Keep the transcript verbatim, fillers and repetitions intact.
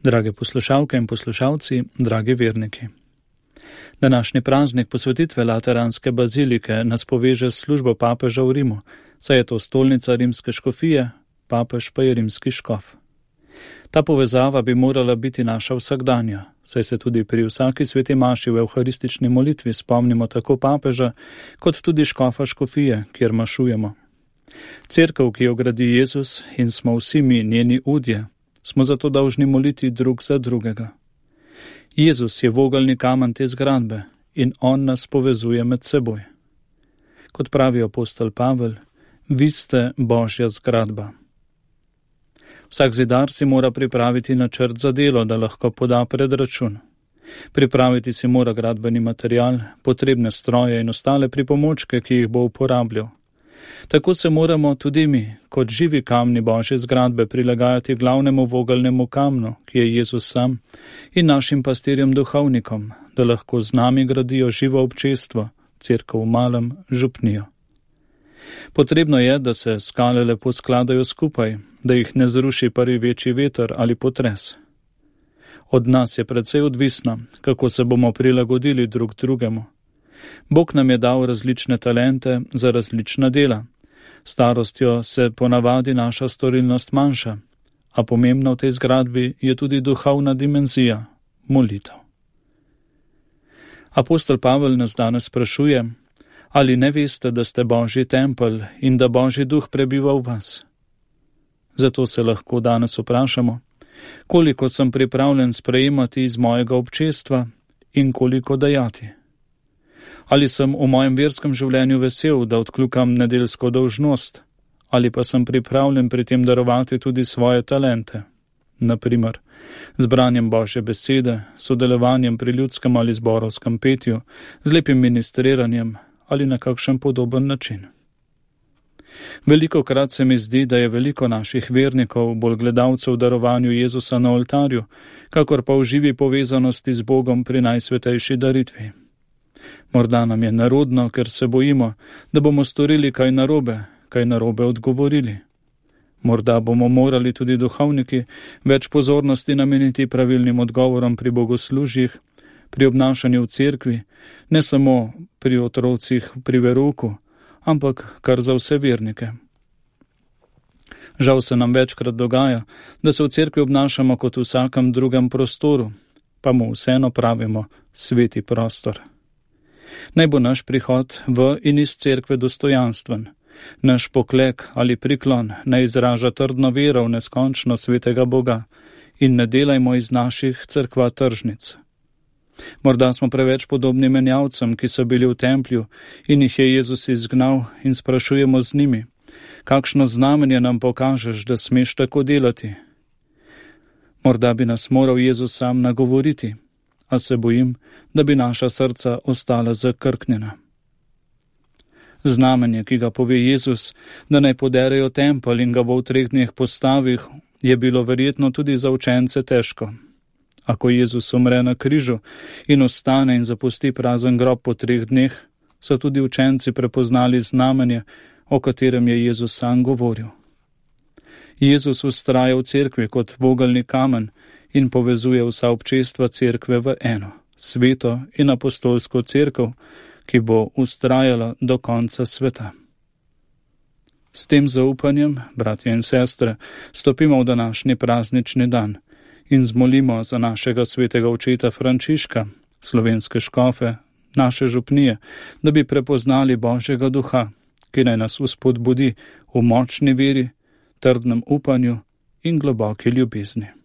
Drage poslušalke in poslušalci, dragi verniki. Današnji praznik posvetitve Lateranske bazilike nas poveže s službo papeža v Rimu, saj je to stolnica rimske škofije, papež pa je rimski škof. Ta povezava bi morala biti naša vsakdanja, saj se tudi pri vsaki sveti maši v evharistični molitvi spomnimo tako papeža, kot tudi škofa škofije, kjer mašujemo. Cerkev, ki jo gradi Jezus in smo vsi mi njeni udje, smo zato dolžni moliti drug za drugega. Jezus je vogelni kamen te zgradbe in on nas povezuje med seboj. Kot pravi apostol Pavel, vi ste Božja zgradba. Vsak zidar si mora pripraviti načrt za delo, da lahko poda predračun. Pripraviti si mora gradbeni material, potrebne stroje in ostale pripomočke, ki jih bo uporabljal. Tako se moramo tudi mi, kot živi kamni Božje zgradbe, prilagajati glavnemu vogelnemu kamnu, ki je Jezus sam, in našim pastirjem duhovnikom, da lahko z nami gradijo živo občestvo, cerkev v malem, župnijo. Potrebno je, da se skale lepo skladajo skupaj, da jih ne zruši prvi večji veter ali potres. Od nas je precej odvisno, kako se bomo prilagodili drug drugemu. Bog nam je dal različne talente za različna dela. Starostjo se ponavadi naša storilnost manjša, a pomembna v tej zgradbi je tudi duhovna dimenzija, molitev. Apostol Pavel nas danes sprašuje, ali ne veste, da ste Božji tempelj in da Božji duh prebiva v vas? Zato se lahko danes vprašamo, koliko sem pripravljen sprejemati iz mojega občestva in koliko dajati. Ali sem v mojem verskem življenju vesel, da odkljukam nedeljsko dolžnost, ali pa sem pripravljen pri tem darovati tudi svoje talente, naprimer z branjem Božje besede, sodelovanjem pri ljudskem ali zborovskem petju, z lepim ministriranjem ali na kakšen podoben način. Veliko krat se mi zdi, da je veliko naših vernikov bolj gledalcev v darovanju Jezusa na oltarju, kakor pa v živi povezanosti z Bogom pri najsvetejši daritvi. Morda nam je nerodno, ker se bojimo, da bomo storili kaj narobe, kaj narobe odgovorili. Morda bomo morali tudi duhovniki več pozornosti nameniti pravilnim odgovorom pri bogoslužjih, pri obnašanju v cerkvi, ne samo pri otrocih pri verouku, ampak kar za vse vernike. Žal se nam večkrat dogaja, da se v cerkvi obnašamo kot v vsakem drugem prostoru, pa mu vseeno pravimo sveti prostor. Naj bo naš prihod v in iz cerkve dostojanstven, naš poklek ali priklon ne izraža trdno vero v neskončno svetega Boga in ne delajmo iz naših cerkva tržnic. Morda smo preveč podobni menjavcem, ki so bili v templju in jih je Jezus izgnal in sprašujemo z njimi, kakšno znamenje nam pokažeš, da smeš tako delati. Morda bi nas moral Jezus sam nagovoriti, a se bojim, da bi naša srca ostala zakrknjena. Znamenje, ki ga pove Jezus, da naj poderejo tempelj in ga bo v treh dneh postavil, je bilo verjetno tudi za učence težko. Ako Jezus umre na križu in ostane in zapusti prazen grob po treh dneh, so tudi učenci prepoznali znamenje, o katerem je Jezus sam govoril. Jezus vztraja v cerkvi kot vogelni kamen in povezuje vsa občestva cerkve v eno, sveto in apostolsko cerkev, ki bo vztrajala do konca sveta. S tem zaupanjem, bratje in sestre, stopimo v današnji praznični dan in zmolimo za našega svetega očeta Frančiška, slovenske škofe, naše župnije, da bi prepoznali Božjega duha, ki naj nas vzpodbudi v močni veri, trdnem upanju in globoki ljubezni.